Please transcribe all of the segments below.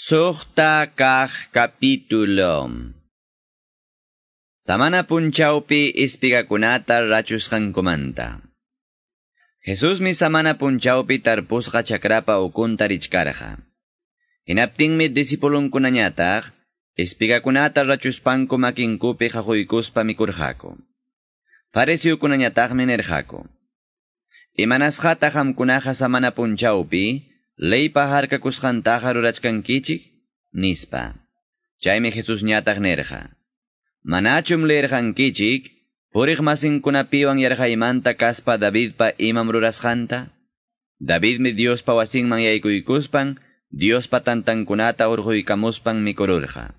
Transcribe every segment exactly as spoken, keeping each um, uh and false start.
Suqta kaq capítulo. Samana punchawpi espigakunata rachusqankumanta. Jesusmi samana punchawpi tarpusqa chakrapa ukunta richkarqa. Hinaptinmi discipulunkunañataq espigakunata rachuspanku makinkupi qaquykuspa mikurqaku. Fariseokunañataqmi nirqaku: Imanasqataq qamkunaqa samana punchawpi leypa harkakusqantaqa rurachkankichik? Nispa. Chaymi Jesusñataq nirqa: Manachum leerqankichik puriq masinkunapiwan yarqaymanta kaspa Davidpa imam rurasqanta? Davidmi Diospa wasinman yaykuykuspan Diospa tantankunata urquykamuspan mikururqa.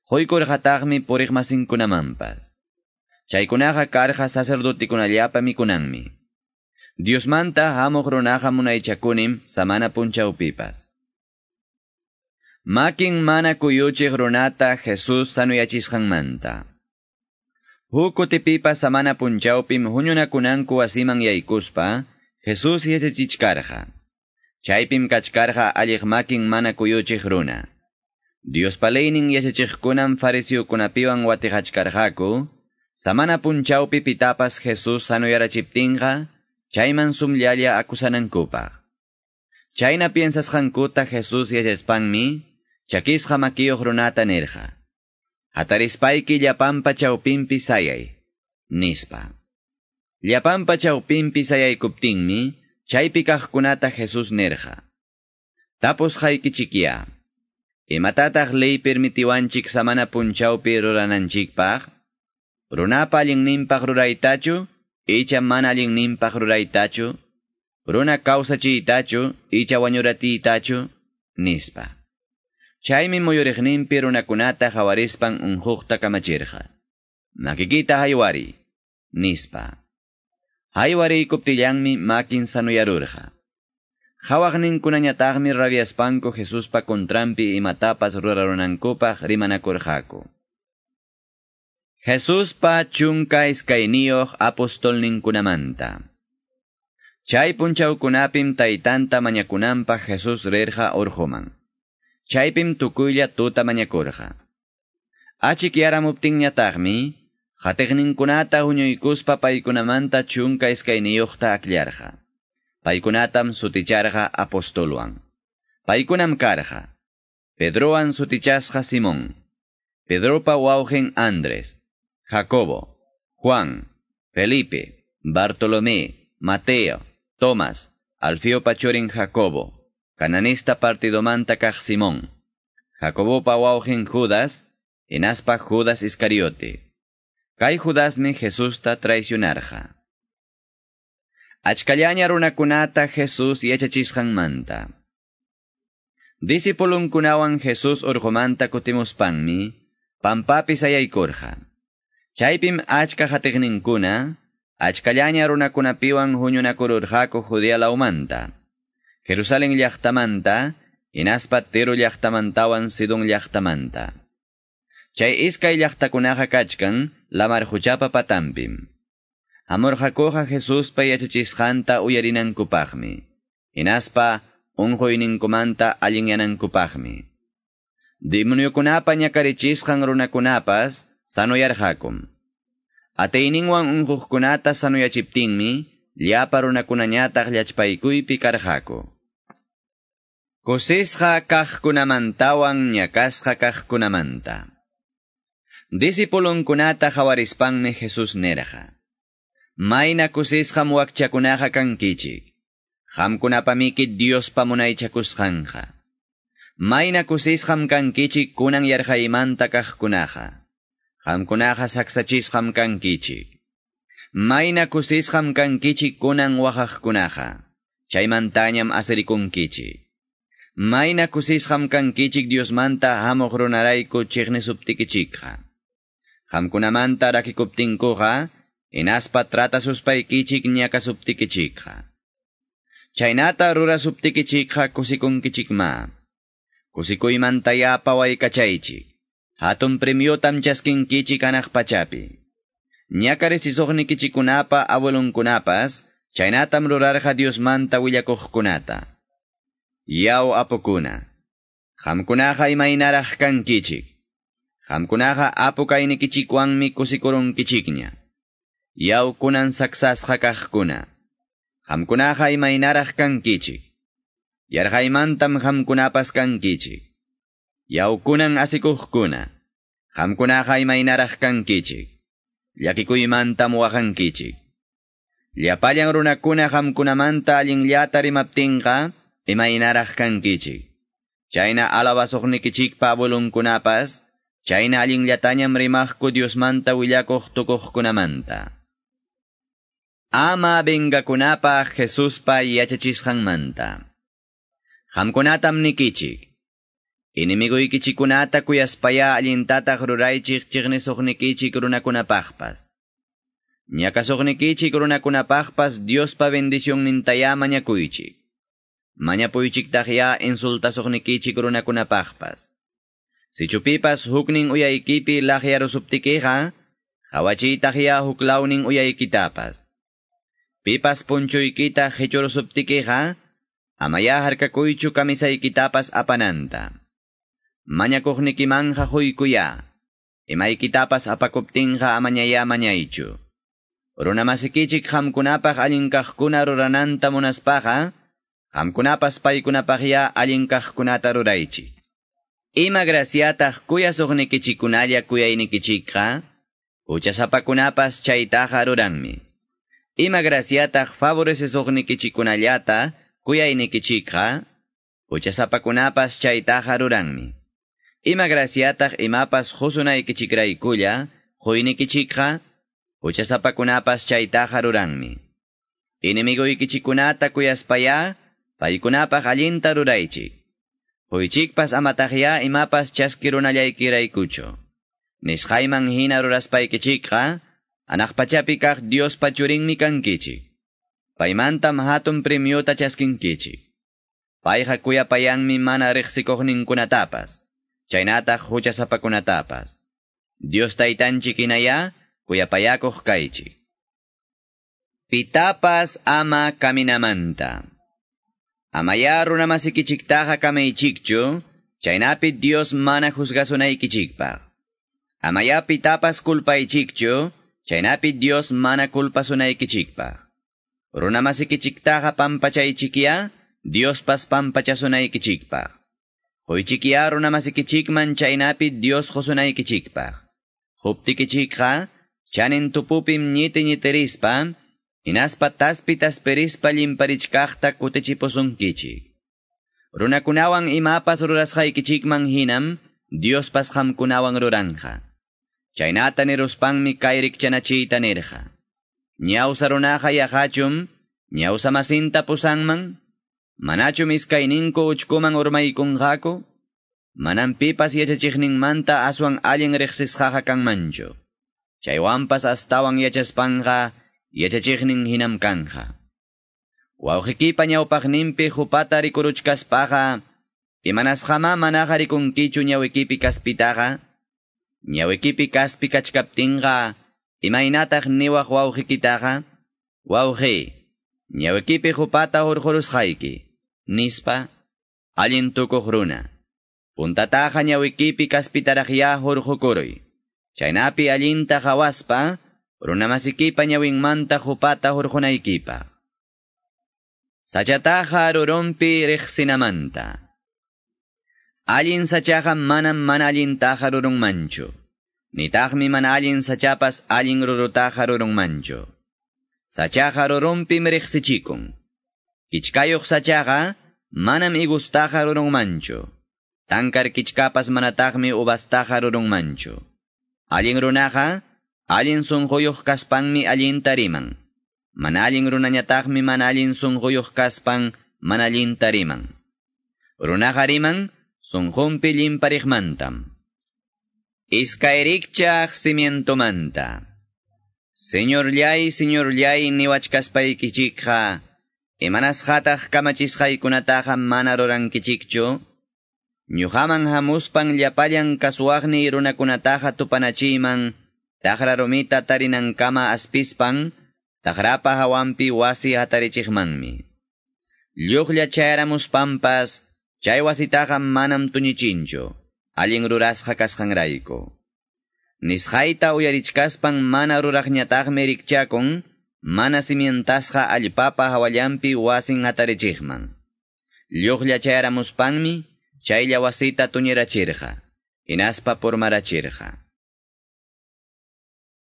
Quykurqataqmi puriq masinkunamanpas. Chaykunaqa karqa sacerdotikunallapa mikunanmi. Diosmanta hamuq runaqa munaychakunim samana punchawpipas. Makin mana kuyuchiq runata Jesús sanuyachisqanmanta. Huk kutipipas samana punchawpim huñunakunanku wasiman yaykuspa Jesús yachachichkarqa. Chaypim kachkarqa alliq makin mana kuyuchiq runa. Diospa leynin yachachiqkunam fariseokunapiwan watiqachkarqaku, samana punchawpi pitapas Jesús sanuyarachiptinqa, chayman sumllalla akusanankupaq. Chayna piensasqankuta Jesús yachaspanmi, chakisqa makiyuq runata nirqa: Hatarispayki llapanpa chawpinpi sayay, nispa. Llapanpa chawpinpi sayaykuptinmi, chaypi kaqkunata Jesús nirqa: Tapusqaykichikya, imatataq ley permitiwanchik samana punchawpi rurananchikpaq? Runapa allinninpaq ruraytachu, icha mana allinninpaq ruraytachu? Runa kawsachiytachu, icha wañuratiytachu? Nispa. Chaymi muyuriqninpi runakunata hawarispan unquqta kamachirqa: Makikita haywari, nispa. Haywariykuptillanmi makin sanuyarurqa. Hawaqninkunañataqmi rabiaspanku Jesuspa contranpi imatapas rurarunankupaq rimanakurqaku. Jesuspa chunka iskayniyuq apostolninkunamanta. Chay punchawkunapim taytanta mañakunanpaq Jesús rirqa urquman. Chaypim tukuylla tuta mañakurqa. Achikyaramuptinñataqmi qatiqninkunata huñuykuspa paykunamanta chunka iskayniyuqta akllarqa. Paykunatam suticharqa apostolwan. Paykunam karqa: Pedrowan sutichasqa Simón, Pedropa wawqin Andrés, Jacobo, Juan, Felipe, Bartolomé, Mateo, Tomás, Alfeopa churin Jacobo, cananista partidomanta kaq Simón, Jacobopa wawqin Judas, hinaspa Judas Iscariote. Kay Judasmi Jesusta traicionarqa. Achkallaña runakunata Jesús yachachisqanmanta. Discipulunkunawan Jesús urqumanta kutimuspanmi, pampapi sayaykurqa. Chaypim achka qatiqninkuna, achkallaña runakunapiwan huñunakururqaku Judea lawmanta, Jerusalén llaqtamanta, hinaspa Tiro llaqtamantawan Sidón llaqtamanta. Chay iskay llaqtakunaqa kachkan lamar quchapa patanpim. Hamurqakuqa Jesuspa yachachisqanta uyarinankupaqmi, hinaspa unquyninkumanta allinyanankupaqmi. Demoniokunapa ñakarichisqan runakunapas sanuyarqakum. Atiyninwan unquqkunata sanuyachiptinmi, llapa runakunañataq llachpaykuypi karqaku. Kusisqa kaqkunamantawan ñakasqa kaqkunamanta. Discipulunkunata hawarispanmi Jesús nirqa: Mayna kusisqam wakchakunaqa kankichik. Qamkunapamiki Diospa munaychakusqanqa. Mayna kusisqam kankichik kunan yarqaymanta kaqkunaqa. Qamkunaqa saksachisqam kankichik. Mayna kusisqam kankichik kunan waqaqkunaqa. Chaymantañam asirikunkichik. Mayna kusisqam kankichik Diosmanta hamuq runarayku chiqnisuptikichikqa. Qamkunamanta rakikuptinkuqa, hinaspa tratasuspaykichik ñakasuptikichikqa. Chaynata rurasuptikichikqa kusikunkichikma. Kusikuymantaya pawaykachaychik. Hatun premiotam chaskinkichik hanaq pachapi. Ñakarichishuqnikichikkunapa abuelunkunapas, chaynatam rurarqa Diosmanta willakuqkunata. Yaw apukuna, Qamkunaqa imaynaraq kankichik. Qamkunaqa apu kaynikichikwanmi kusikurunkichikña. Yaw kunan saksasqa kaqkuna. Qamkunaqa imaynaraq kankichik. Yarqaymantam qamkunapas kankichik. Yaw kunan asikuqkuna. Qamkunaqa imaynaraq kankichik. Llakikuymantam waqankichik. Llapallan runakuna qamkunamanta allinllata rimaptinqa imaynaraq kankichik. Chayna alabasuqnikichikpa abuelunkunapas, chayna allinllatañam rimaqku Diosmanta willakuq tukuqkunamanta. Ama vengakunapaq Jesuspa yachachisqanmanta. Qamkunatam nikichik. Enemiguykichikunata kuyaspaya allintataq ruraychik chiqnisuqnikichik runakunapaqpas. Ñakasuqnikichik runakunapaqpas Diospa bendicionnintaya mañakuychik. Mañapuychiktaqya insultasuqnikichik runakunapaqpas. Sichupipas huknin uyaykipi laqyarusuptikiqa, qawachiytaqya huklawnin uyaykitapas. Pipas punchuykita qichurusuptikiqa, amaya harkakuychu kamisaykitapas apananta. Mañakuqnikimanja huykuya, imaykitapas apakuptinqa amañaya mañaychu. Runamasikichik qamkunapaq allin kaqkuna rurananta munaspaqa, qamkunapas paykunapaqya allin kaqkunata ruraychik. Ima graciataq kuyasuqnikichikunalla kuyaynikichikqa, huchasapakunapas chaytaqa ruranmi. Ima graciataq favorecesuqnikichikunallata kuyaynikichikqa, huchasapakunapas chaytaqa ruranmi. Ima graciataq imapas qusunaykichikraykulla quynikichikqa, huchasapakunapas chaytaqa ruranmi. Enemiguykichikunata kuyaspaya, paykunapaq allinta ruraychik. Huychikpas amataqya imapas chaskirunallaykiraykuchu. Nisqayman hina ruraspaykichikqa, anaq pachapi kaq Diospa churinmi kankichik. Paymantam hatun premiota chaskinkichik. Payqa kuyapayanmi mana riqsikuqninkunatapas, chaynataq huchasapakunatapas. Dios taytanchik hinaya, kuyapayakuq kaychik. Pitapas ama kaminamanta. Amaya runamasikichiktaqa kamaychikchu, chaynapi Dios mana juzgasunaykichikpaq. Amaya pitapas kulpaychikchu, chaynapi Dios mana kulpasunaykichikpaq. Runamasikichiktaqa pampachaychikya, Diospas pampachasunaykichikpaq. Huychikya runamasikichikman chaynapi Dios qusunaykichikpaq. Huptikichikqa, chanin tupupim ñiti ñitirispa, hinaspa taspi taspirispa llimparichkaqta kutichipusunkichik. Runakunawan imapas rurasqaykichikman hinam, Diospas qamkunawan ruranja. Chaynata niruspanmi kay rikchanachiyta nirqa. Ñawsa runaqa yaqachum, ñawsa masinta pusanman, manachum iskayninku uchkuman urmaykunqaku, manam pipas yachachiqninmanta aswan allin riqsisqaqa kanmanchu. Chaywanpas astawan yachaspanqa, yachachiqnin hinam kanja. Wawqikipa ñawpaqninpi hupata rikuruchkaspaqa, imanasqama manaqa rikunkichu ñawikipi kaspitaqa, ñawikipi kaspi kachkaptinqa, imaynataq niwaq wawqikitaqa, wawqi, ñawikipi hupata hurqurusqayki, nispa, allin tukuq runa. Puntataqa ñawikipi kaspitaraqya hurqukuruy. Chaynapi allinta qawaspa, runamasikipa ñawinmanta hupata hurqunaykipaq. Sachataqa rurunpi riqsinamanta. Allin sachaqa manam mana allintaqa rurunmanchu. Nitaqmi mana allin sachapas allin rurutaqa rurunmanchu. Sachaqa rurunpim riqsichikun. Kichkayuq sachaqa manam igustaqa rurunmanchu. Tankar kichkapas manataqmi uvastaqa rurunmanchu. Allin runaqa, allin sunquyuq kaspanmi allinta riman. Mana allin runañataqmi mana allin sunquyuq kaspan mana allinta riman. Runaqa riman sunqunpi llimpariqmantam. Iskayrikchaq cimientomanta. Señorllay, señorllay niwachkaspaykichikqa, imanasqataq kamachisqaykunataqa mana rurankichikchu? Ñuqaman hamuspan llapallan kasuwaqniy runakunataqa tupanachiyman, taqra rumita tarinankama aspispan, taqrapa hawanpi wasi hatarichiqmanmi. Lluqlla chayaramuspanpas, Chay wasitaqa manam tuñichinchu, allin rurasqa kasqanrayku. Nisqayta uyarichkaspan mana ruraqñataqmi rikchakun, mana simientasqa allpapa hawallanpi wasin hatarichiqman. Lluqlla chayaramuspanmi, chaylla wasita tuñirachirqa, hinaspa purmarachirqa.